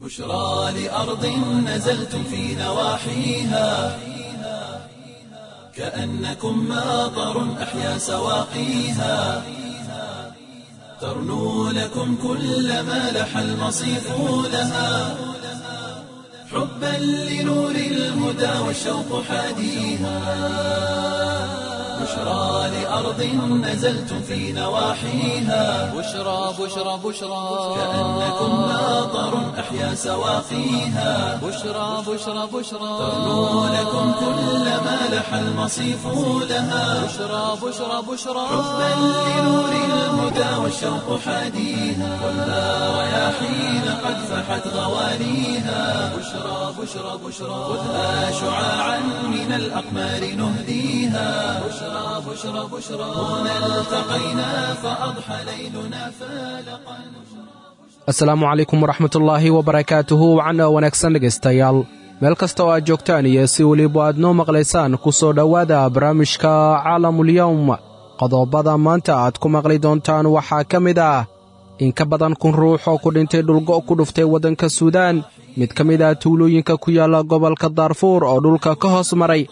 بشرى لأرض نزلتم في نواحيها كأنكم ماطر أحيا سواقيها ترنو لكم كل ما لح المصيف لها حبا لنور الهدى والشوق حاديها بشرى لأرض نزلتم في نواحيها بشرى بشرى بشرى كأنكم ماطر أحيا سواقيها بشرى بشرى بشرى ترنو لكم كل ما لح المصيف لها بشرى بشرى بشرى حبا لنور الهدى والشوق حاديها خذها رياحين قد فحت غوانيها بشرى بشرى بشرى خذها شعاعا من الأقمار نهديها بشرى بشرى بشرى هنا التقينا فأضحى ليلنا فالقا. Asalaamu calaykum waraxmatullaahi wabarakaatuhu. Wacan oo wanaagsan dhegaystayaal, meel kasta oo aad joogtaan iyo si weliba aad noo maqlaysaan, ku soo dhowaada barnaamijka Caalamulyowm. Qodobada maanta aad ku maqli doontaan waxaa ka mid ah in ka badan 1000 ruux oo ku dhintay dhulgo' ku dhuftay waddanka Suudaan, mid ka mid ah tuulooyinka ku yaalla gobolka Daarfuur oo dhulka ka hoos maray,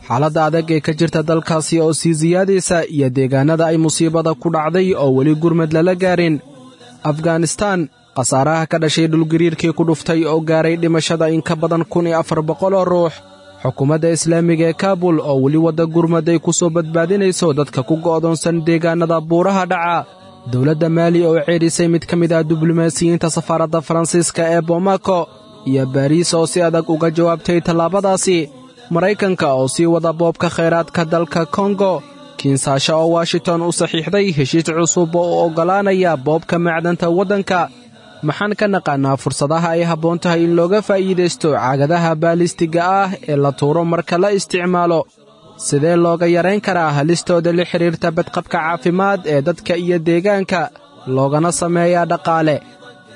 xaaladda adag ee ka jirta dalkaasi oo sii siyaadaysa, iyo deegaannada ay musiibada ku dhacday oo weli gurmad lala gaarin, Afganistaan khasaaraha ka dhashay dhulgariirkii ku dhuftay oo gaaray dhimashada in ka badan 1400 oo ruux, xukuumadda islaamiga ee Kaabul oo weli wadda gurmad ay ku soo badbaadinayso dadka ku go'doonsan deegaannada buuraha dhaca, dowladda Maali oo ceedhisay mid ka mid ah diblomaasiyiinta safaaradda Faransiiska ee Bomako, iyo Baariis oo si adag uga jawaabtay tallaabadaasi, Maraykanka oo sii wada boobka khayraadka dalka Kongo, Kinsaasha oo Washington u saxiixday heshiis cusub oo u oggolaanaya boobka macdanta waddanka. Maxaan ka naqaannaa fursadaha ay habboon tahay in looga faa'iidaysto caagadaha baalistiga ah ee la tuuro marka la isticmaalo? Sidee looga yarayn karaa halistooda la xidhiirta badqabka caafimaad ee dadka iyo deegaanka, loogana sameeyaa dhaqaale?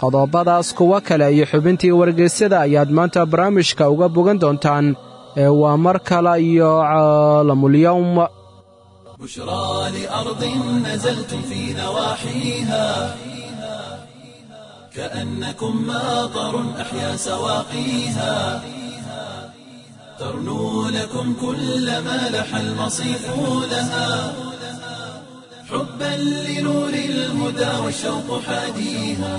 Qodobadaas, kuwo kale iyo xubintii wargeysyada ayaad maanta barnaamijka uga bogan doontaan ee waa mar kale iyo Caalamulyowm. بشرى لأرض نزلتم في نواحيها كأنكم ماطر أحيا سواقيها ترنو لكم كل ما لح المصيف لها حبا لنور الهدى والشوق حاديها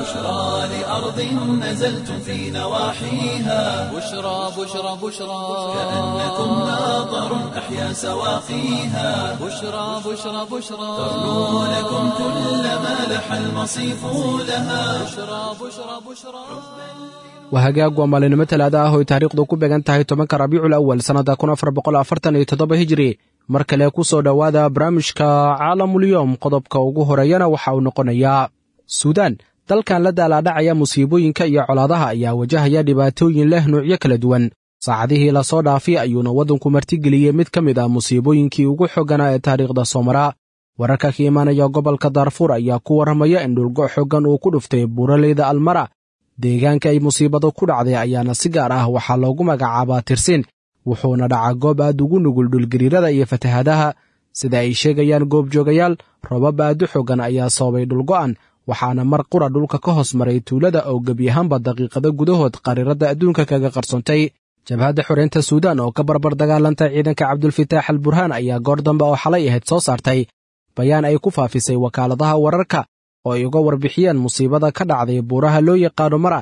بشرى لأرض نزلتم في نواحيها بشرى بشرى بشرى كأنكم ماطر أحيا سواقيها بشرى بشرى بشرى ترنو لكم كل ما لح المصيف لها بشرى بشرى بشرى. Waa hagaag, waa maalinimo Talaada ah oo ay taariikhdu ku beegan tahay 10-ka Rabiicul Awal sannadda 1447 Hijri. Mar kale ku soo dhowaada barnaamijka Caalamulyowm. Qodobka ugu horeeyana waxa uu noqonayaa Suudaan. Dalkan la daalaadhacaya musiibooyinka iyo colaadaha ayaa wajahaya dhibaatooyin leh nuucyo kala duwan. Saacadihii lasoo dhaafay ayuuna waddanku martigeliyey mid ka mid ah musiibooyinkii ugu xogganaa ee taariikhda soomara. Wararka ka imaanaya gobolka Daarfuur ayaa ku warramaya in dhulgo xoggan uu ku dhuftay buuraleyda Almara. Deegaanka ay musiibadu ku dhacday ayaana si gaar ah waxaa loogu magacaabaa Tirsin, wuxuuna dhacaa goob aad ugu nugul dhulgariirada iyo fatahaadaha. Sida ay sheegayaan goobjoogayaal, roobab aad u xoggan ayaa sababay dhulgo'an, waxaana mar qura dhulka ka hoos maray tuulada oo gebi ahaanba daqiiqado gudahood qariiradda adduunka kaga qarsoontay. Jabhadda Xoreynta Suudaan oo ka barbar dagaalanta ciidanka Cabdulfitaax al Burhaan ayaa goor dambe oo xalay ahayd soo saartay bayaan ay ku faafisay wakaaladaha wararka oo ay uga warbixiyeen musiibada ka dhacday buuraha loo yaqaano Mara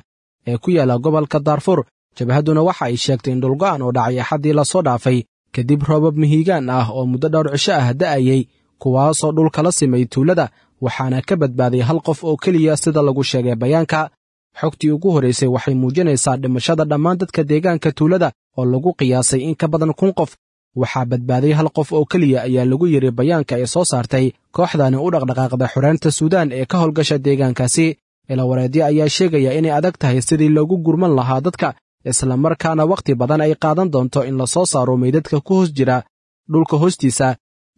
ee ku yaalla gobolka Daarfuur. Jabhadduna waxa ay sheegtay in dhulgo'an oo dhacay Axaddii lasoo dhaafay kadib roobab mihigaan ah oo muddo dhowr cisho ah da'ayey, kuwaasoo dhulka la simay tuulada, waxaana ka badbaaday hal qof oo keliya, sida lagu sheegay bayaanka. Xogtii ugu horraysay waxay muujinaysaa dhimashada dhammaan dadka deegaanka tuulada oo lagu qiyaasay in ka badan 1000 qof. Waxaa badbaaday hal qof oo keliya, ayaa lagu yidhi bayaanka ay soo saartay kooxdani u dhaqdhaqaaqda xoreynta Suudaan ee ka howlgasha deegaankaasi. Ilawareedyo ayaa sheegaya inay adag tahay sidii loogu gurman lahaa dadka, islamarkaana wakhti badan ay qaadan doonto in la soo saaro meydadka ku hoos jira dhulka hoostiisa,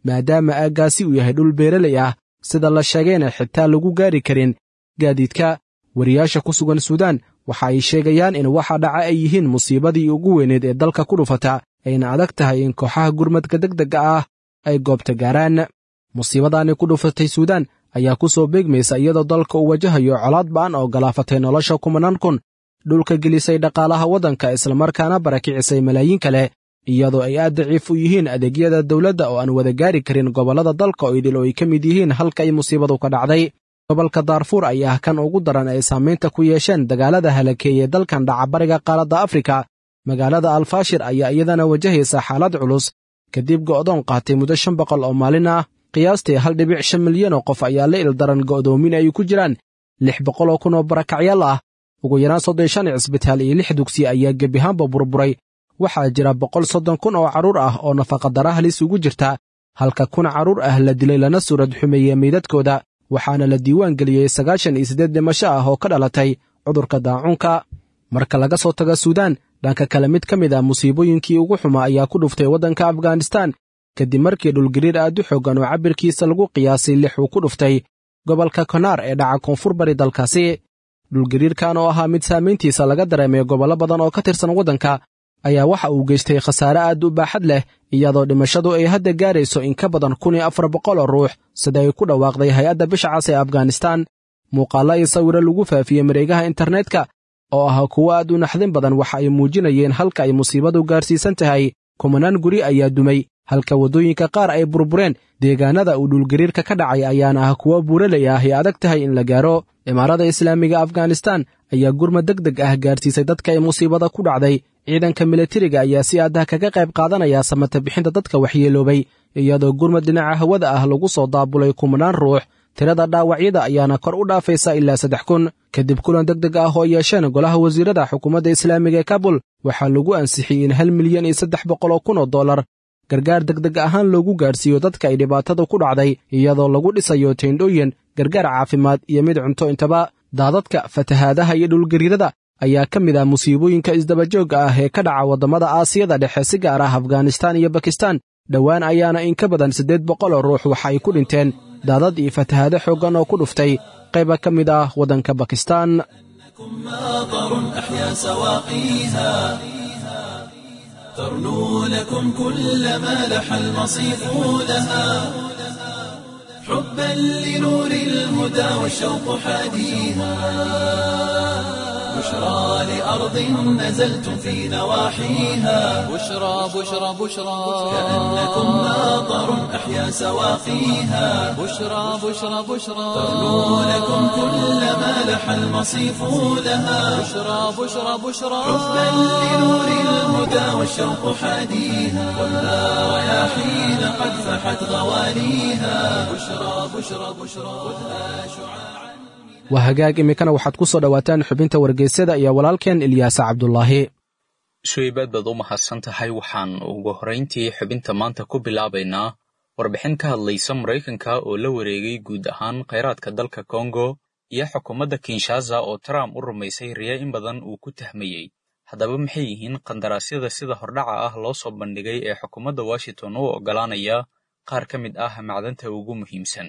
maadaama aaggaasi uu yahay dhul beeraley ah, sida la sheegayna xitaa lagu gaari karin gaadiidka. Wariyaasha ku sugan Suudaan waxa ay sheegayaan in waxa dhaca ay yihiin musiibadii ugu weyneed ee dalka ku dhufata, ayna adag tahay in kooxaha gurmadka degdegga ah ay goobta gaaraan. Musiibadaani ku dhufatay Suudaan ayaa ku soo beegmaysa iyadoo dalka uu wajahayo colaad ba'an oo galaafatay nolosha kumanaan kun, dhulka gelisay dhaqaalaha waddanka, islamarkaana barakicisay malaayiin kale, iyadoo ay aad daciif u yihiin adeegyada dowladda oo aan wada gaari karin gobollada dalka oo idil oo ay ka mid yihiin halka ay musiibadu ka dhacday. Gobolka Daarfuur ayaa ah kan ugu daran ay saamaynta ku yeesheen dagaalada halakeeyey dalkan dhacabariga qaaradda Afrika. Magaalada Alfaashir ayaa iyadana wajahaysa xaalad culus kadib go'doon qaatay muddo 500 oo maalin ah. Qiyaastii 1.5 milyan oo qof ayaa la ildaran go'doomin ay ku jiraan 600,000 oo barakacyaal ah. Ugu yaraan 35 cisbitaal iyo 6 dugsi ayaa gebiahaanba burburay. Waxaa jira 130,000 oo carruur ah oo nafaqadara halis ugu jirta, halka 1,000 carruur ah la dilay lana suurad xumeeyey meydadkooda, waxaana la diiwaan geliyey 98 dhimasho ah oo ka dhalatay cudurka daacuunka. Marka laga soo tago Suudaan, dhanka kale mid ka mid ah musiibooyinkii ugu xumaa ayaa ku dhuftay waddanka Afghanistan kadib markii dhulgariir aad u xooggan oo cabbirkiisa lagu qiyaasay 6 uu ku dhuftay gobolka Konaar ee dhaca koonfur bari dalkaasi. Dhulgariirkan oo ahaa mid saamayntiisa laga dareemay gobollo badan oo ka tirsan waddanka ayaa waxa uu geystay khasaare aad u baaxad leh, iyadoo dhimashadu ay hadda gaarayso in ka badan 1,400 oo ruux, sida ay ku dhawaaqday hay-adda bisha cas ee Afghanistan. Muuqaallo iyo sawiro lagu faafiyey mareegaha internetka oo ahaa kuwo aad u naxdin badan waxa ay muujinayeen halka ay musiibadu gaarsiisan tahay. Kumanaan guri ayaa dumay, halka waddooyinka qaar ay burbureen. Deegaanada uu dhulgariirka ka dhacay ayaana ah kuwo buuraley ah ay adag tahay in la gaaro. Imaarada Islaamiga Afghanistan ayaa gurmad deg deg ah gaarsiisay dadka ay musiibada ku dhacday. Ciidanka militariga ayaa si adah kaga qayb qaadanaya samata bixinta dadka waxyeeloobay, iyadoo gurmad dhinaca hawada ah lagu soo daabulay kumanaan ruux. Tirada dhaawacyada ayaana kor u dhaafaysa ilaa 3,000. Kadib kulan deg deg ah oo yeesheen golaha wasiirada xukuumadda islaamiga ee Kabul, waxaa lagu ansixiyey in 1,300,000 oo dollar gargaar deg deg ahaan loogu gaarsiiyo dadka ay dhibaatada ku dhacday, iyadoo lagu dhisayo teendhooyin, gargaar caafimaad iyo mid cunto intaba. Daadadka, fatahaadaha iyo dhulgariirada ayaa ka mid ah musiibooyinka isdabajoogga ah ee ka dhaca waddamada Aasiyada Dhexe, si gaar ah Afghanistan iyo Bakistan. Dhowaan ayaana in ka badan 800 oo ruux waxa ay ku dhinteen daadad iyo fatahaado xooggan oo ku dhuftay qayba ka mid ah waddanka Bakistan. ماطر أحيا سواقيها ترنو لكم كل ما لح المصيف لها حبا لنور الهدى والشوق حاديها بشرى لأرض نزلتم في نواحيها بشرى بشرى بشرى كأنكم ماطر أحيا سواقيها بشرى بشرى بشرى ترنو لكم كل ما لح المصيف لها بشرى بشرى بشرى حبا لنور الهدى والشوق حاديها ولا رياحين قد فحت غواليها بشرى بشرى بشرى خذها شعاعا. Waa hagaag, iminkana waxaad ku soo dhowaataan xubinta wargeysyada iyo walaalkeen Ilyaasa Cabdulaahi. Suweybaad baad u mahadsan tahay. Waxaan ugu horrayntii xubinta maanta ku bilaabaynaa warbixin ka hadlaysa Maraykanka oo la wareegay guud ahaan kheyraadka dalka Kongo iyo xukuumadda Kinshasa oo Trump u rumaysay riya in badan uu ku tahmayey. Haddaba maxay yihiin qandaraasyada sida hordhaca ah loo soo bandhigay ee xukuumadda Washington u oggolaanaya qaar ka mid ah macdanta ugu muhiimsan?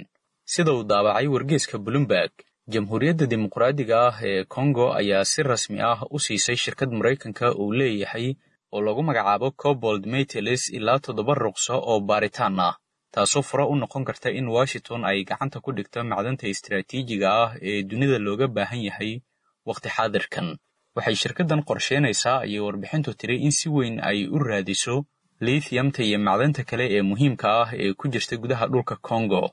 Sida uu daabacay wargeyska Bloomberg, Jamhuuriyadda Dimuqraadiga ah ee Kongo ayaa si rasmi ah u siisay shirkad Maraykanka uu leeyahay oo lagu magacaabo Cobalt Metals ilaa 7 ruqso oo baaritaan ah, taasoo fure u noqon karta in Washington ay gacanta ku dhigto macdanta istiraatiijiga ah ee dunida looga baahan yahay waqti xaadirkan. Waxay shirkaddan qorsheynaysaa, ayay warbixintu tiri, in si weyn ay u raadiso lithiumta iyo macdanta kale ee muhiimka ah ee ku jirta gudaha dhulka Kongo.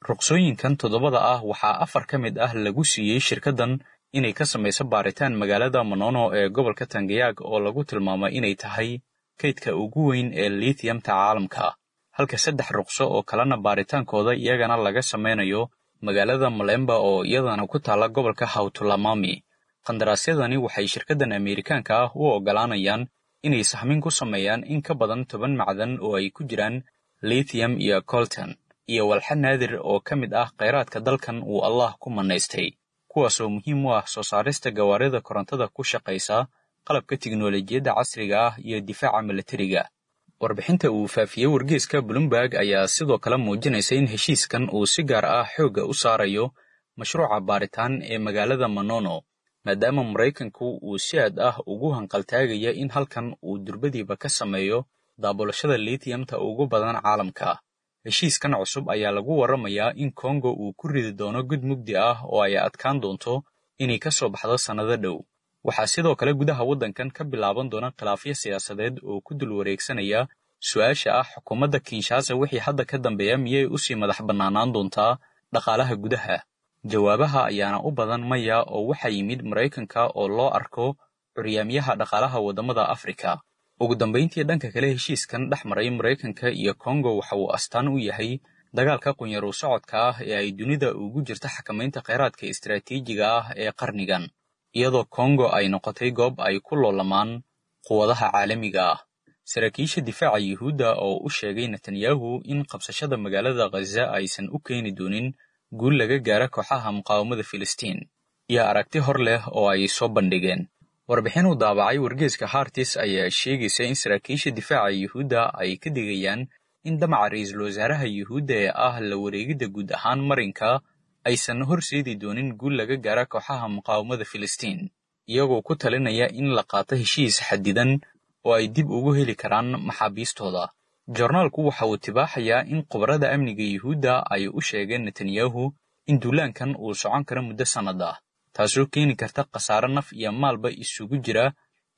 Ruqsooyinkan 7da ah waxaa 4 ka mid ah lagu siiyey shirkaddan inay ka samayso baaritaan magaalada Manono ee gobolka Tangayaag oo lagu tilmaamay inay tahay kaydka ugu weyn ee lithiumta caalamka, halka 3 ruqso oo kalena baaritaankooda iyagana laga samaynayo magaalada Malemba oo iyadana ku taalla gobolka Hautulamami. Qandaraasyadani waxay shirkaddan Ameerikaanka ah u oggolaanayaan inay sahmin ku sameeyaan in ka badan 10 macdan oo ay ku jiraan lithium iyo coltan iyo walxa naadir oo ka mid ah kheyraadka dalkan uu Allah ku manaystay, kuwaasoo muhiim u ah soo saarista gawaarida korontada ku shaqaysa, qalabka tiknoolajiyadda casriga ah iyo difaaca milatariga. Warbixinta uu faafiyey wargeyska Bloomberg ayaa sidoo kale muujinaysa in heshiiskan uu si gaar ah xoogga u saarayo mashruuca baaritaan ee magaalada Manono, maadaama Maraykanku uu si aad ah ugu hanqaltaagaya in halkan uu durbadiiba ka sameeyo daabulashada lithiumta ugu badan caalamka. Heshiiskan cusub ayaa lagu warramayaa in Kongo uu ku ridi doono gud mugdi ah oo ay adkaan doonto inay ka soo baxdo sannado dhow. Waxaa sidoo kale gudaha waddankan ka bilaaban doona khilaafyo siyaasadeed oo ku dul wareegsanaya su-aasha ah xukuumadda Kinshasa wixii hadda ka dambeeya miyay usii madax bannaanaan doontaa dhaqaalaha gudaha. Jawaabaha ayaana u badan maya, oo waxaa yimid Maraykanka oo loo arko curyaamyaha dhaqaalaha waddamada Afrika. Ugu dambayntii, dhanka kale, heshiiskan dhex maray Maraykanka iyo Kongo waxa uu astaan u yahay dagaalka qunyaru socodka ah ee ay dunida ugu jirta xakamaynta kheyraadka istaraatiijiga ah ee qarnigan, iyadoo Kongo ay noqotay goob ay ku loolamaan quwadaha caalamiga ah. Saraakiisha difaaca Yuhuudda oo u sheegay Netanyahu in qabsashada magaalada Ghaza aysan u keeni doonin guul laga gaara kooxaha muqaawamada Filistiin, iyo aragti hor leh oo ay soo bandhigeen. Warbixin uu daabacay wargeyska Hartis ayaa sheegaysa in saraakiisha difaaca Yuhuudda ay ka digayaan in damaca ra'iisul wasaaraha Yuhuudda ee ah la wareegidda guud ahaan marinka aysan horseedi doonin guul laga gaara kooxaha muqaawamada Filistiin, iyagoo ku talinaya in la qaato heshiis xadidan oo ay dib ugu heli karaan maxaabiistooda. Joornaalku waxa uu tibaaxayaa in khubarada amniga Yuhuudda ay u sheegeen Netanyahu in duulaankan uu socon karo muddo sannad ah, taasoo keeni karta khasaare naf iyo maalba isugu jira,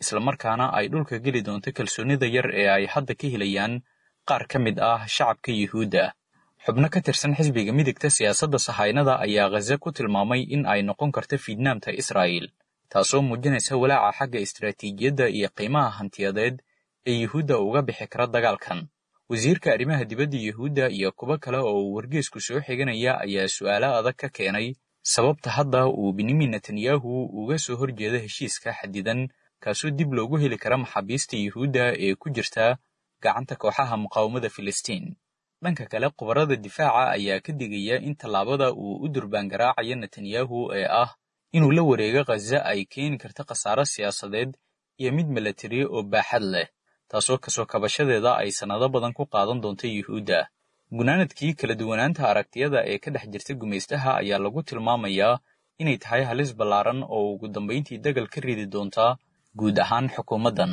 islamarkaana ay dhulka geli doonto kalsoonida yar ee ay hadda ka helayaan qaar ka mid ah shacabka Yuhuudda. Xubno ka tirsan xisbiga midigta siyaasadda sahaynada ayaa Ghaza ku tilmaamay in ay noqon karto fiidnaamta Israa'iil, taasoo muujinaysa walaaca xagga istaraatiijiyadda iyo qiimaha hantiyadeed ee Yuhuudda uga bixi kara dagaalkan. Wasiirka arrimaha dibadda Yuhuudda iyo kuwo kale oo uu wargeysku soo xiganaya ayaa su'aalo adag ka keenay sababta hadda uu Benyamin Netanyahu uga soo horjeedo heshiiska xadidan, kaasoo dib loogu heli kara maxaabiista Yuhuudda ee ku jirta gacanta kooxaha muqaawamada Filistiin. Dhanka kale, khubarada difaaca ayaa ka digaya in tallaabada uu u durbaan garaacayo Netanyahu ee ah inuu la wareego Ghaza ay keeni karto khasaare siyaasadeed iyo mid milatari oo baaxad leh, taasoo kasoo kabashadeeda ay sannado badan ku qaadan doonto Yuhuudda. Gunaanadkii, kala duwanaanta aragtiyada ee ka dhex jirta gumaystaha ayaa lagu tilmaamayaa inay tahay halis ballaaran oo ugu dambayntii dagal ka ridi doonta guud ahaan xukuumaddan,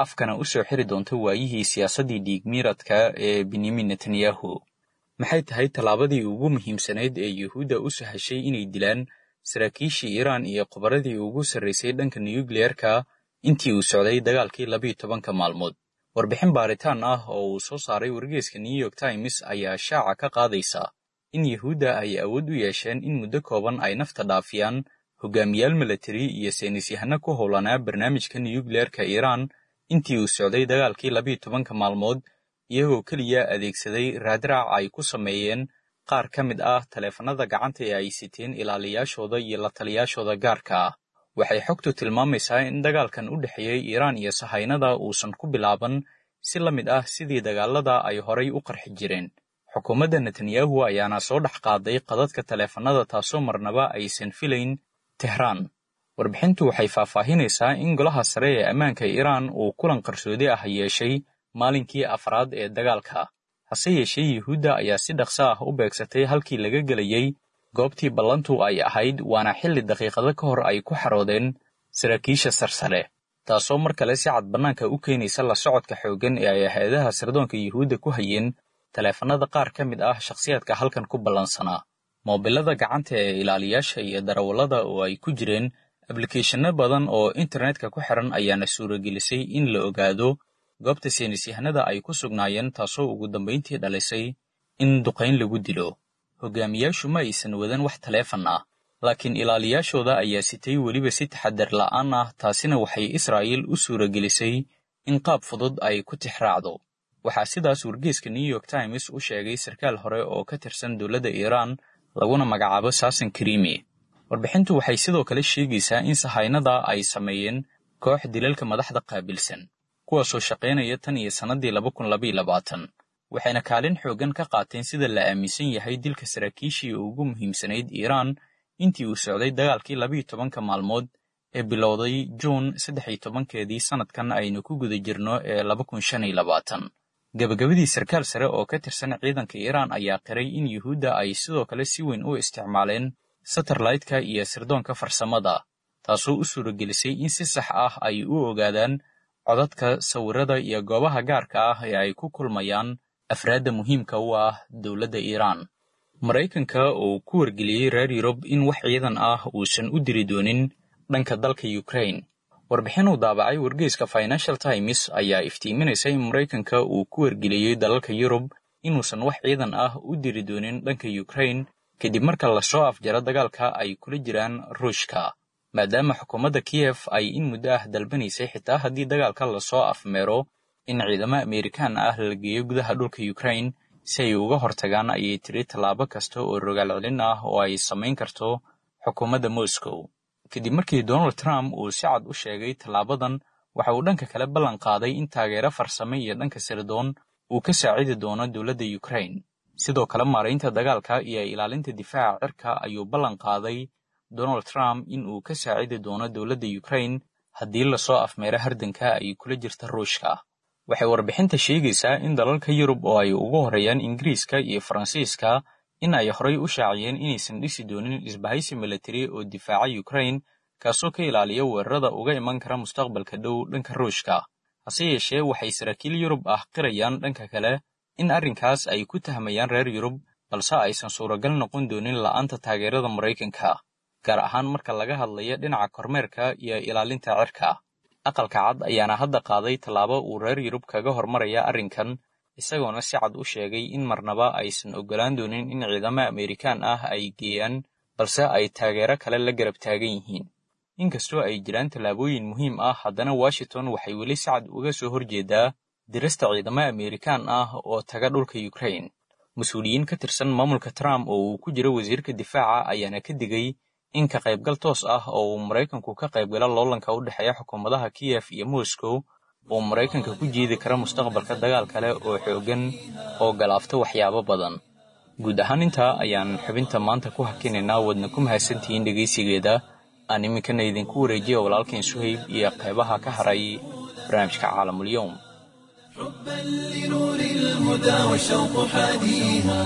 afkana u soo xiri doonta waayihii siyaasaddii dhiigmiiradka ee Benyamin Netanyahu. Maxay tahay tallaabadii ugu muhiimsanayd ee Yuhuudda u sahashay inay dilaan saraakiishii Iiraan iyo khubaradii ugu sarraysay dhanka nuyukliyeerka intii uu socday dagaalkii 12-ka maalmood? Warbixin baaritaan ah oo uu soo saaray wargeyska New York Times ayaa shaaca ka qaadaysa in Yuhuudda ay awood u yeesheen in muddo kooban ay nafta dhaafiyaan hogaamiyaal milatari iyo saynisyahano ku howlanaa barnaamijka nuyukliyeerka Iiraan intii uu socday dagaalkii 12-ka maalmood, iyagoo keliya adeegsaday raadraac ay ku sameeyeen qaar ka mid ah taleefannada gacanta ee ay siteen ilaaliyaashooda iyo la taliyaashooda gaarka ah. Waxay xogtu tilmaamaysaa in dagaalkan u dhexeeyey Iiraan iyo sahaynada uusan ku bilaaban si la mid ah sidii dagaalada ay horay u qarxi jireen. Xukuumadda Netanyahu ayaana soo dhex qaaday qadadka taleefannada, taasoo marnaba aysan filayn Tehraan. Warbixintu waxay faahfaahinaysaa in golaha sare ee ammaanka Iiraan uu kulan qarsoodi ah yeeshay maalinkii afraad ee dagaalka. Hase yeeshee, Yuhuudda ayaa si dhaqso ah u beegsatay halkii laga gelayay goobtii ballantu ay ahayd, waana xilli daqiiqado ka hor ay ku xaroodeen saraakiisha sarsare, taasoo mar kale si cad bannaanka u keenaysa la socodka xooggan ee ay hay-adaha sirdoonka Yuhuudda ku hayeen taleefannada qaar ka mid ah shakhsiyaadka halkan ku ballansanaa. Moobilada gacanta ee ilaaliyaasha iyo darawallada oo ay ku jireen ablikeeshanno badan oo internetka ku xiran ayaana suuragelisay in la ogaado goobta saynisyahanada ay ku sugnaayeen, taasoo ugu dambayntii dhalisay in duqayn lagu dilo. Hogaamiyaashu ma aysan wadan wax taleefan ah, laakiin ilaaliyaashooda ayaa sitay, weliba si taxadar la'aan ah, taasina waxay Israa'iil u suuragelisay in qaab fudud ay ku tixraacdo. Waxaa sidaas wargeyska New York Times u sheegay sarkaal hore oo ka tirsan dowladda Iiraan laguna magacaabo Saasan Karimi. Warbixintu waxay sidoo kale sheegaysaa in sahaynada ay sameeyeen koox dilalka madaxda qaabilsan, kuwaasoo shaqaynaya tan iyo sannaddii 2022, waxayna kaalin xooggan ka qaateen sida la aaminsan yahay dilka saraakiishii ugu muhiimsanayd Iiraan intii uu socday dagaalkii 12-ka maalmood ee bilowday Juun 13-keedii sannadkan aynu ku guda jirno ee 2025. Gabagabadii, sarkaal sare oo ka tirsan ciidanka Iiraan ayaa qiray in Yuhuudda ay sidoo kale si weyn u isticmaaleen satellite-ka iyo sirdoonka farsamada, taasoo u suuragelisay in si sax ah ay u ogaadaan codadka, sawirada iyo goobaha gaarka ah ee ay ku kulmayaan afraadda muhiimka u ah dowladda Iiraan. Maraykanka oo ku wargeliyey reer Yurub in wax ciidan ah uusan u diri doonin dhanka dalka Ukraine. Warbixin uu daabacay wargeyska Financial Times ayaa iftiiminaysa in Maraykanka uu ku wargeliyey dalalka Yurub inuusan wax ciidan ah u diri doonin dhanka Ukraine kadib marka lasoo afjaro dagaalka ay kula jiraan Ruushka, maadaama xukuumadda Kiev ay in muddo ah dalbanaysay xitaa haddii dagaalka lasoo afmeero in ciidamo Ameerikaan ah la geeyo gudaha dhulka Ukraine si ay uga hortagaan, ayay tiri, tallaabo kasta oo rogaal celin ah oo ay samayn karto xukuumadda Moscow. Kadib markii Donald Trump uu si cad u sheegay tallaabadan, waxa uu dhanka kale ballan qaaday in taageero farsame iyo dhanka sirdoon uu ka saacidi doono dowladda Ukraine. Sidoo kale maaraynta dagaalka iyo ilaalinta difaaca cirka ayuu ballan qaaday Donald Trump in uu ka saacidi doono dowladda Ukraine haddii lasoo afmeero hardanka ay kula jirta Ruushka. Waxay warbixinta sheegaysaa in dalalka Yurub oo ay ugu horreeyaan Ingiriiska iyo Faransiiska in ay horay u shaaciyeen inaysan dhisi doonin isbahaysi militari oo difaaca Ukraine, kaasoo ka ilaaliya weerarada uga iman kara mustaqbalka dhow dhanka Ruushka. Hase yeeshee, waxay saraakiil Yurub ah qirayaan dhanka kale in arrinkaas ay ku tahmayaan reer Yurub, balse aysan suuragal noqon doonin la'aanta taageerada Maraykanka, gaar ahaan marka laga hadlayo dhinaca kormeerka iyo ilaalinta cirka. Aqalka Cad ayaana hadda qaaday tallaabo uu reer Yurub kaga hormaraya arrinkan, isagoona si cad u sheegay in marnaba aysan oggolaan doonin in ciidamo Ameerikaan ah ay geeyaan, balse ay taageero kale la garab taagan yihiin. Inkastoo ay jiraan tallaabooyin muhiim ah, haddana Washington waxay weli si cad uga soo horjeedaa dirista ciidamo Ameerikaan ah oo taga dhulka Ukraine. Mas-uuliyiin ka tirsan maamulka Trump oo uu ku jiro wasiirka difaaca ayaana ka digay in ka qaybgal toos ah oo uu Maraykanku ka qaybgalo loolanka u dhexeeya xukuumadaha Kiev iyo Moscow uu Maraykanka ku jiidi kara mustaqbalka dagaal kale oo xooggan oo galaafta waxyaabo badan. Guud ahaan intaa ayaan xubinta maanta ku hakinaynaa, wadna ku mahadsantihiin dhegaysigeeda. Aan iminkana idinku wareejiya walaalkeen Suhayb iyo qaybaha ka haray barnaamijka Caalamulyoom. حبا لنور الهدى والشوق حاديها،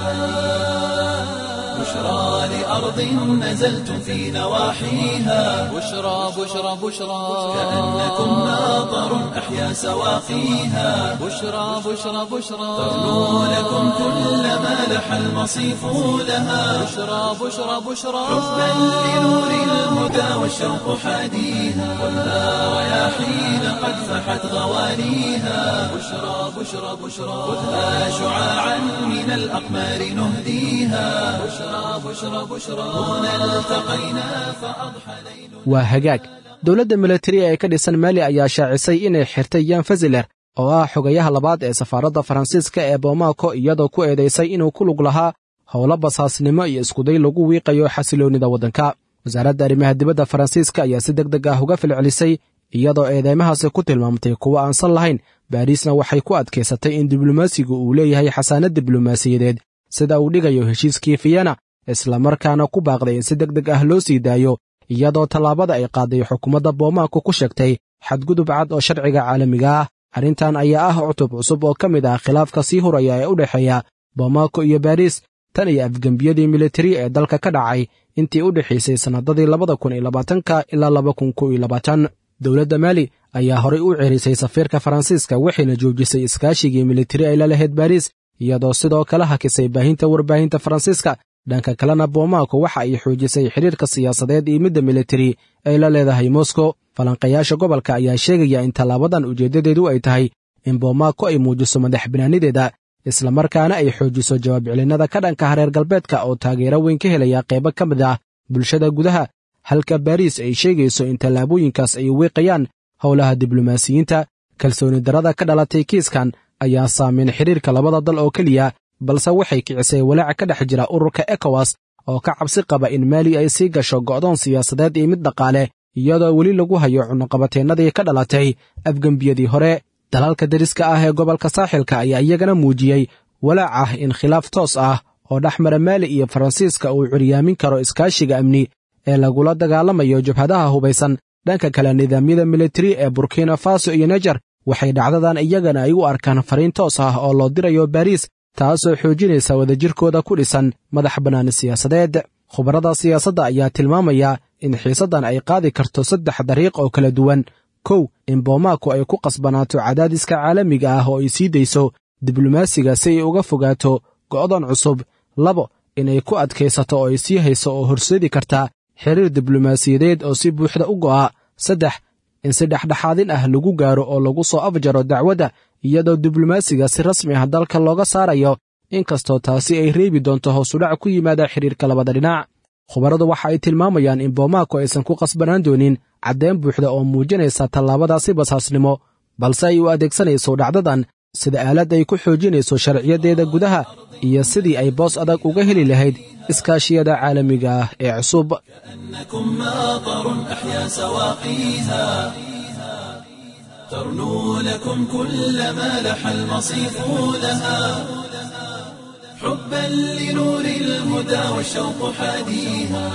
بشرى لأرض نزلت في نواحيها، بشرى بشرى بشرى، كأنكم ماطر أحيا سواقيها، بشرى بشرى بشرى، ترنو لكم كل ما لح المصيف لها، بشرى بشرى بشرى، حبا لنور الهدى والشوق حاديها، خذها رياحين قد فحت غوانيها، بشرى بشرى بشرى، خذها شعاعا من الأقمار نهديها، بشرى بشرى بشرى، هنا التقينا فأضحى ليل. Waa hagaag. Dowladda milatari ee ka dhisan Maali ayaa shaacisay inay xirtay Yan Fasiler oo ah xogayaha labaad ee safaaradda Faransiiska ee Bomaako, iyadoo ku eedaysay inuu ku lug lahaa howlo basaasnimo iyo iskuday lagu wiiqayo xasiloonnida waddanka. Wasaaradda arrimaha dibadda Faransiiska ayaa si deg deg ah uga falcelisay, iyadoo eedeymahaasi ku tilmaamtay kuwo aan san lahayn. Baariisna waxay ku adkaysatay in diblomaasigu uu leeyahay xasaanad diblomaasiyadeed sida uu dhigayo heshiiskii Fiyana, islamarkaana ku baaqday in si deg deg ah loo sii daayo, iyadoo tallaabada ay qaaday xukuumadda Bomaako ku sheegtay xadgudub cad oo sharciga caalamiga ah. Arrintan ayaa ah cutub cusub oo ka mid ah khilaafka sii huraya ee u dhexeeya Bomaako iyo Baariis tan iyo afgembiyadii militari ee dalka ka dhacay intii u dhexaysay sannadadii 2020-ka ilaa 2021. Dowladda Maali ayaa horay u cerisay safiirka Faransiiska, waxayna joojisay iskaashigii militari ay la lahayd Baariis, iyadoo sidoo kale hakisay baahinta warbaahinta Faransiiska. Dhanka kalena, Bomaako waxa ay xoojisay xidhiirka siyaasadeed iyo midda militari ay la leedahay Moscow. Falanqayaasha gobolka ayaa sheegaya in tallaabadan ujeeddadeedu ay tahay in Bomaako ay muujiso madax banaanideeda, islamarkaana ay xoojiso jawaab celinnada ka dhanka hareer galbeedka oo taageero weyn ka helaya qaybo ka mid ah bulshada gudaha, halka Baariis ay sheegayso in tallaabooyinkaas ay wiiqayaan howlaha diblomaasiyiinta. Kalsooni darada ka dhalatay kiiskan ayaa saameyn xidhiirka labada dal oo keliya, balse waxay kicisay walaac ka dhex jira ururka EKOWAS oo ka cabsi qaba in Maali ay sii gasho go'doon siyaasadeed iyo mid dhaqaale, iyadoo weli lagu hayo cunuqabateennadii ka dhalatay afgembiyadii hore. Dalalka deriska ah ee gobolka saaxilka ayaa iyagana muujiyey walaac ah in khilaaf toos ah oo dhex mara Maali iyo Faransiiska uu curyaamin karo iskaashiga amni ee lagula dagaalamayo jabhadaha hubaysan. Dhanka kale, nidaamyada militari ee Burkina Faso iyo Nejar waxay dhacdadan iyagana ay u arkaan fariin toos ah oo loo dirayo Baariis, taasoo xoojinaysa wadajirkooda ku dhisan madax bannaani siyaasadeed. Khubarada siyaasadda ayaa tilmaamaya in xiisaddan ay qaadi karto saddex dariiq oo kala duwan. Kow, in Bomaako ay ku qasbanaato cadaadiska caalamiga ah oo ay sii dayso Diblomaasiga si ay uga fogaato go'doon cusub. Labo, inay ku adkaysato oo ay sii hayso oo horseedi karta xiriir diblomaasiyadeed oo si buuxda u go'a. Saddex, in si dhexdhexaadin ah lagu gaaro oo lagu soo afjaro dacwadda iyadoo diblomaasiga si rasmi ah dalka looga saarayo, inkastoo taasi ay reebi doonto hoosudhac ku yimaada xidhiirka labada dhinac. Khubaradu waxa ay tilmaamayaan in Bomaako aysan ku qasbanaan doonin caddeyn buuxda oo muujinaysa tallaabadaasi basaasnimo, balse ay u adeegsanayso dhacdadan sida aalad ay ku xoojinayso sharciyaddeeda gudaha iyo sidii ay boos adag uga heli lahayd iskaashiyada caalamiga ah ee cusub. كأنكم ماطر أحيا سواقيها ترنو لكم كل ما لح المصيف لها، حبا لنور الهدى والشوق حاديها،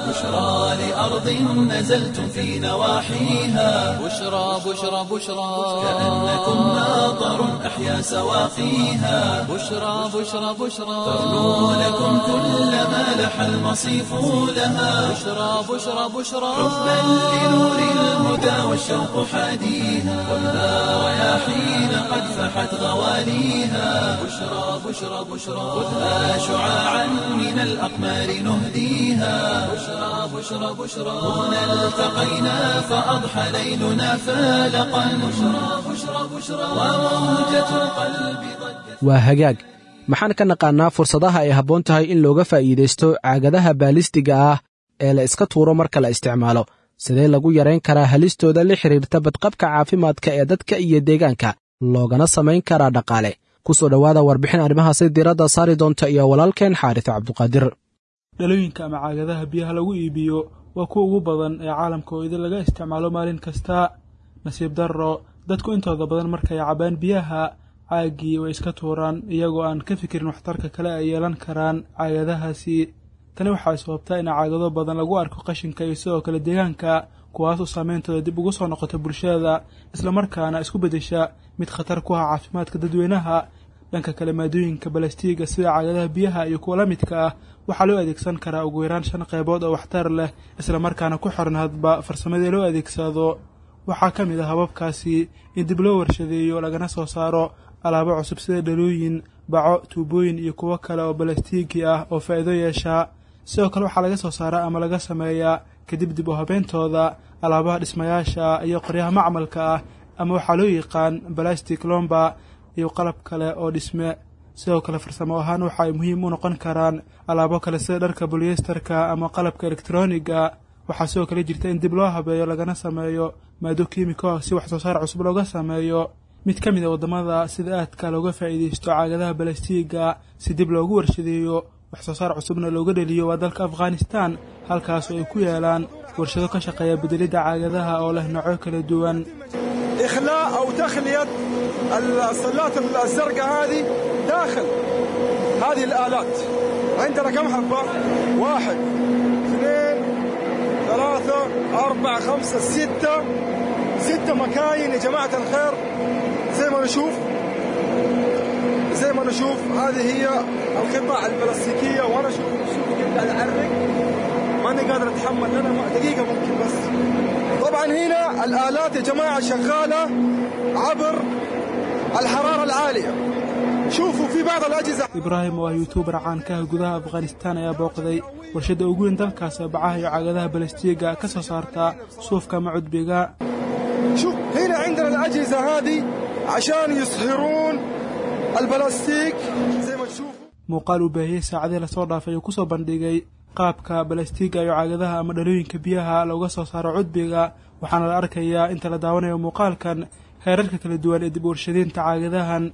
بشرى لأرض نزلتم في نواحيها، بشرى بشرى بشرى كأنكم ماطر أحيا سواقيها، بشرى بشرى بشرى ترنو لكم كل ما لح المصيف لها، بشرى بشرى بشرى حبا لنور الهدى والشوق حاديها، خذها رياحين قد فحت غواليها، بشرى بشرى بشرى خذها شعاعا من الأقمار نهديها، بشرى بشرى بشرى هنا التقينا فأضحى ليلنا فالقا، بشرى بشرى بشرى وموجة القلب ضجت. Waa hagaag. Maxaan ka naqaannaa fursadaha ay habboon tahay in looga faa'iidaysto caagadaha baalistiga ah ee la iska tuuro marka la isticmaalo? Sidee lagu yarayn karaa halistooda la xidhiirta badqabka caafimaadka ee dadka iyo deegaanka, loogana samayn karaa dhaqaale? Ku soo dhowaada warbixin arrimahaasi diiradda saari doonta iyo walaalkeen Xaaris Cabduqaadir. Dhalooyinka ama caagadaha biyaha lagu iibiyo waa kuwa ugu badan ee caalamka oo idin laga isticmaalo maalin kasta. Nasiib darro, dadku intooda badan markay cabaan biyaha, caaggii way iska tuuraan iyagoo aan ka fikirin waxtarka kale ay yeelan karaan caagadahaasi. Tani waxay sababtaa in caagado badan lagu arko qashinka iyo sidoo kale deegaanka, kuwaas oo saameyntooda dib ugu soo noqota bulshada, islamarkaana isku beddesha mid khatar ku ah caafimaadka dadweynaha. Dhanka kale, maadooyinka balastiiga sida caagadaha biyaha iyo kuwa la midka ah waxaa loo adeegsan karaa ugu yaraan 5 qaybood oo waxtar leh, islamarkaana ku xiran hadba farsamadii loo adeegsado. Waxaa ka mid ah hababkaasi in dib loo warshadeeyo lagana soo saaro alaabo cusub sida dhalooyin, baco, tuubooyin iyo kuwo kale oo balastiigi ah oo faa'iido yeesha. Sidoo kale waxaa laga soo saaraa ama laga sameeyaa kadib dib u habeyntooda alaabaha dhismayaasha iyo qoryaha macmalka ah, ama waxaa loo yaqaan balastic lomba, iyo qalab kale oo dhisme. Sidoo kale farsamo ahaan waxa ay muhiim u noqon karaan alaabo kale sida dharka bolyesterka ama qalabka elektroniga. Waxaa sidoo kale jirta in dib loo habeeyo lagana sameeyo maado kiimiko ah si wax soo saar cusub looga sameeyo. Mid ka mid a waddamada sida aadka looga faa'iidaysto caagadaha balastiiga si dib loogu warshadeeyo wax soo saar cusubna looga dheliyo waa dalka Afghanistan, halkaasoo ay ku yaalaan warshado ka shaqeeya bedelidda caagadaha oo leh noocyo kala duwan. إخلاء أو تخلية الصلات الزرقاء هذه داخل هذه الآلات. عندنا كم حبة؟ 1 2 3 4 5 6 6 مكاين يا جماعة الخير. زي ما نشوف هذه هي القطع البلاستيكية، وأنا شوف كيف قاعد أعرق، ماني قادر أتحمل أنا دقيقة ممكن بس. طبعا هنا الآلات يا جماعة شغالة عبر الحرارة العالية. شوفوا في بعض الأجهزة. Ibraahim oo ah yuutuubar caankaha gudaha Afghanistan ayaa booqday warshadda ugu weyn dalkaas ee bacaha iyo caagadaha balastiiga ka soo saarta suufka ama cudbiga. شوف هنا عندنا الأجهزة هذه عشان يصهرون البلاستيك زي ما تشوفوا. Muuqaal uu baahiyey saacadihii lasoo dhaafay uu ku soo bandhigay qaabka balastiiga iyo caagadaha ama dhalooyinka biyaha looga soo saaro cudbiga, waxaana la arkayaa inta la daawanayo muuqaalkan heerarka kala duwan ee dib u warshadaynta caagadahan.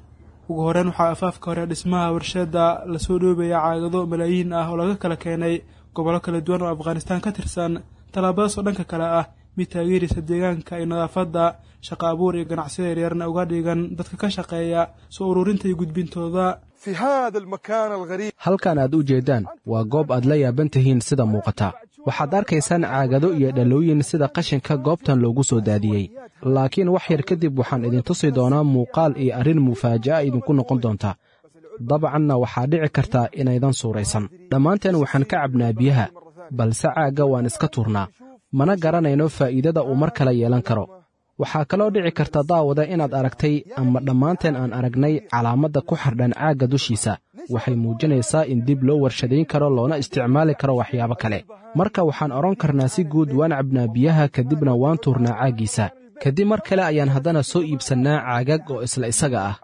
Ugu horreyn waxaa afaafka hore dhismaha warshadda lasoo dhoobaya caagado malaayiin ah oo laga kala keenay gobollo kala duwan oo Afghanistan ka tirsan, tallaabadaas oo dhanka kale ah mid taageeraysa deegaanka iyo nadaafadda, shaqo abuur iyo ganacsiyada yaryarna uga dhigan dadka ka shaqeeya soo ururinta iyo gudbintooda. في هذا المكان الغريب Halkan aad u jeeddaan waa goob aad la yaaban tihiin sida muuqata. Waxaad arkaysaan caagado iyo dhalooyin sida qashinka goobtan loogu soo daadiyey. Laakiin wax yar kadib waxaan idin tusi doonaa muuqaal iyo arrin mufaaja'a idinku noqon doonta. Dabcanna waxaa dhici karta inaydan suuraysan. Dhammaanteen waxaan ka cabnaa biyaha, balse caagga waan iska tuurnaa. Mana garanayno faa'iidada uu mar kale yeelan karo. Waxaa kaloo dhici karta daawada inaad aragtay ama dhammaanteen aan aragnay calaamadda ku xardhan caagga dushiisa. Waxay muujinaysaa in dib loo warshadayn karo loona isticmaali karo waxyaabo kale. Marka waxaan odhan karnaa si guud waan cabnaa biyaha, kadibna waan tuurnaa caaggiisa. Kadib mar kale ayaan haddana soo iibsannaa caagag oo isla isaga ah.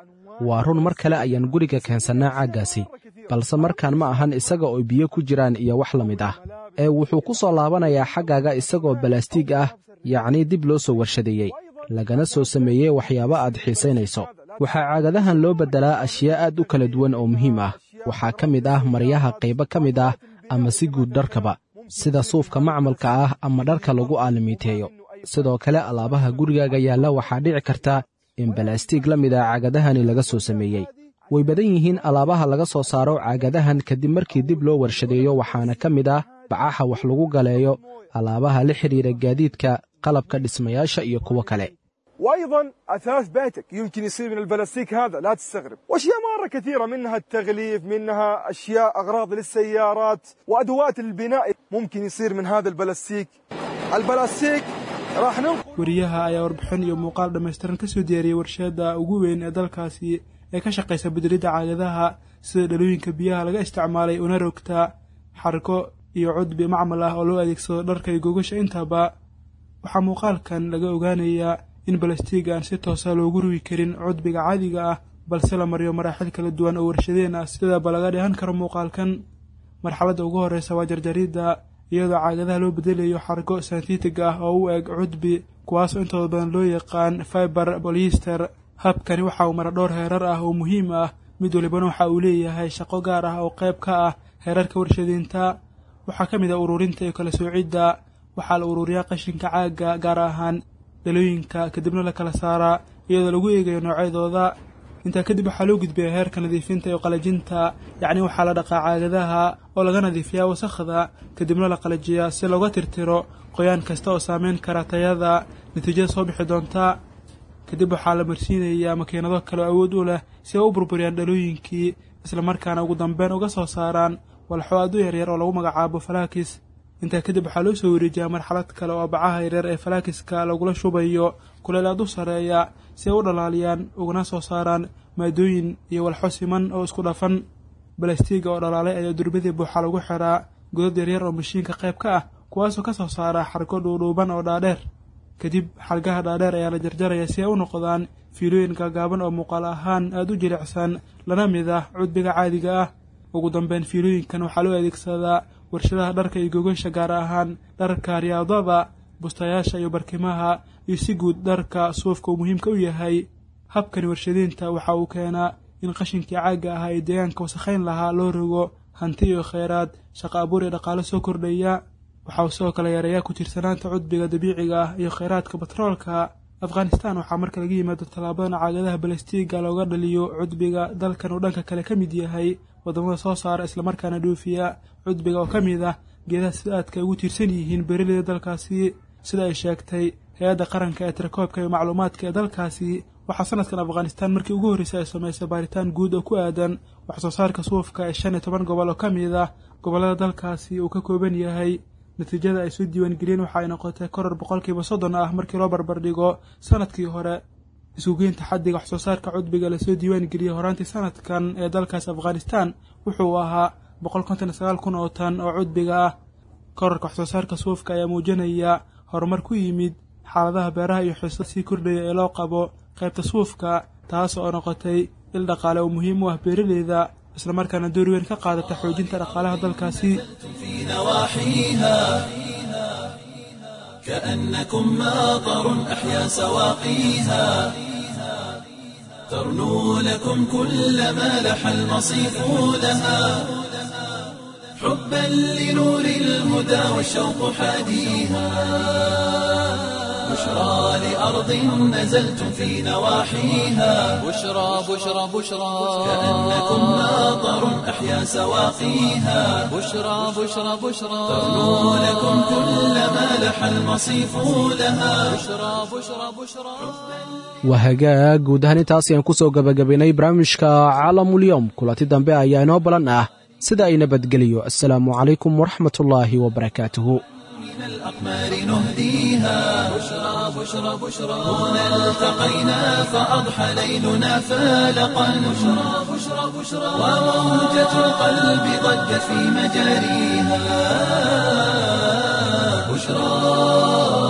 Waa run, mar kale ayaan guriga keensannaa caaggaasi, balse markaan ma ahan isaga oo biyo ku jiraan iyo wax la mid ah, ee wuxuu ku soo laabanayaa xaggaaga isagoo balaastiig ah, yacnii dib loo soo warshadeeyey, lagana soo sameeyey waxyaabo aad xiisaynayso. Waxaa caagadahan loo beddelaa ashyaa aad u kala duwan oo muhiim ah. Waxaa ka mid ah maryaha qaybo ka mid ah ama si guud dharkaba, sida suufka macmalka ah ama dharka lagu aalamiiteeyo. Sidoo kale alaabaha gurigaaga yaalla waxaa dhici karta in balaastiig la mid ah caagadahani laga soo sameeyey. Way badan yihiin alaabaha laga soo saaro caagadahan kadib markii dib loo warshadeeyo, waxaana ka mid ah bacaha wax lagu galeeyo, alaabaha la xidhiidha gaadiidka, qalabka dhismayaasha iyo kuwo kale. وايضا اثاث بيتك يمكن يصير من البلاستيك هذا، لا تستغرب. واشياء مره كثيره، منها التغليف، منها اشياء اغراض للسيارات وادوات البناء ممكن يصير من هذا البلاستيك. البلاستيك راح ننقل Wariyaha ayaa warbixin iyo muuqaal dhammaystiran kasoo diyaariyey warshada ugu weyn ee dalkaasi ee ka shaqaysa bedelidda caagadaha, sida dhalooyinka biyaha laga isticmaalay una rogta xarko iyo cudbi macmal ah oo loo adeegsado dharka iyo gogasha intaba. Waxaa muuqaalkan laga ogaanayaa in balastiig aan si toosa loogu rugi karin cudbiga caadiga ah, balse la mariyo maraaxil kala duwan oo warshadeen ah, sidaba laga dheehan karo muuqaalkan. Marxaladda ugu horreysa waa jarjaridda, iyadoo caagadaha loo bedelayo xargo synthetic ah oo u eg cudbi, kuwaasoo intooda badan loo yaqaan fiber polyester. Habkani waxa uu mara dhowr heerar ah oo muhiim ah, mid walibana waxa uu leeyahay shaqo gaar ah oo qayb ka ah heerarka warshadeynta. Waxaa ka mid ah ururinta iyo kala soocidda. Waxaa la ururiyaa qashinka caagga, gaar ahaan dhalooyinka, kadibna la kala saaraa iyadoo lagu eegayo noocyadooda. Intaa kadib waxaa loo gudbiyaa heerka nadiifinta iyo qalajinta, yacni waxaa la dhaqaa caagadaha oo laga nadiifiyaa wasakhda, kadibna la qalajiyaa si looga tirtiro qoyaan kasta oo saameyn kara tayada natiijada soo bixi doonta. Kadib waxaa la marsiinayaa makiinado kale oo awood u leh si ay u burburiyaan dhalooyinkii, islamarkaana ugu dambeyn uga soo saaraan walxo aad u yaryar oo lagu magacaabo falaakis. Intaa kadib waxaa loo soo wareejiyaa marxalad kale oo bacaha yaryar ee falaakiska lagula shubayo kuleel aad u sarreeya si ay u dhalaaliyaan ugana soo saaraan maadooyin iyo walxo siman oo isku dhafan. Balastiiga oo dhalaalay ayaa durbadii buuxa lagu xiraa godad yaryar oo mashiinka qayb ka ah, kuwaasoo ka soo saara xargo dhuudhuuban oo dhaadheer. Kadib xargaha dhaadheer ayaa la jarjaraya si ay u noqdaan fiilooyin gaagaaban oo muuqaal ahaan aada u jilicsan, lana mid ah cudbiga caadiga ah. Ugu dambeyn fiilooyinkan waxaa loo adeegsadaa warshadaha dharka iyo gogasha, gaar ahaan dharka riyaadada, bustayaasha iyo barkimaha, iyo si guud dharka suufka uu muhiimka u yahay. Habkani warshadeynta waxa uu keenaa in qashinkii caagga ahaa ee deegaanka wasakhayn lahaa loo rogo hanti iyo kheyraad, shaqo abuur iyo dhaqaalo soo kordhaya. Waxa uu sidoo kale yareeyaa ku tiirsanaanta cudbiga dabiiciga ah iyo kheyraadka batroolka. Afghanistan waxaa marka laga yimaado tallaabadan caagadaha balastiiga looga dhaliyo cudbiga, dalkan uu dhanka kale ka mid yahay waddamada soo saara islamarkaana dhoofiya cudbiga oo ka mid ah geedaha sida aadka ay ugu tiirsan yihiin beeraleyda dalkaasi. Sida ay sheegtay hay-adda qaranka ee tirakoobka iyo macluumaadka ee dalkaasi, waxaa sanadkan Afghanistan markii ugu horreysay ay samaysay baaritaan guud oo ku aadan wax soo saarka suufka ee 15 gobol oo ka mid ah gobollada dalkaasi uu ka kooban yahay. Natiijada ay soo diiwaangeliyeen waxa ay noqotay koror 30% ah markii loo barbardhigo sanadkii hore. Isugeynta xaddiga wax soo saarka cudbiga lasoo diiwaangeliyey horaantii sanadkan ee dalkaas Afghanistan wuxuu ahaa 159,000 oo tan oo cudbiga ah. Kororka wax soo saarka suufka ayaa muujinaya horumar ku yimid xaaladaha beeraha iyo xiisada sii kordhaya ee loo qabo qaybta suufka, taas oo noqotay il dhaqaale oo muhiim u ah beeraleyda, islamarkaana door weyn ka qaadata xoojinta dhaqaalaha dalkaasi. في نواحيها كأنكم ماطر أحيا سواقيها ترنو لكم كل ما لح المصيف لها حبا لنور الهدى والشوق حاديها بشرى لأرض نزلتم في نواحيها بشرى بشرى بشرى كأنكم ماطر أحيا سواقيها بشرى بشرى بشرى ترنو لكم كل ما لح المصيف لها بشرى بشرى بشرى Waa hagaag, guud ahaan intaas ayaan ku soo gabagabaynay barnaamijka Caalamulyoom. Kulanti dambe ayaa inoo balan ah, sida ay nabadgeliyo. Assalaamu calaykum waraxmatullaahi wabarakaatuhu. من الأقمار نهديها. بشرى بشرى بشرى هنا التقينا فأضحى ليلنا فالقا. بشرى بشرى بشرى وموجة القلب ضجت في مجاريها. بشرى.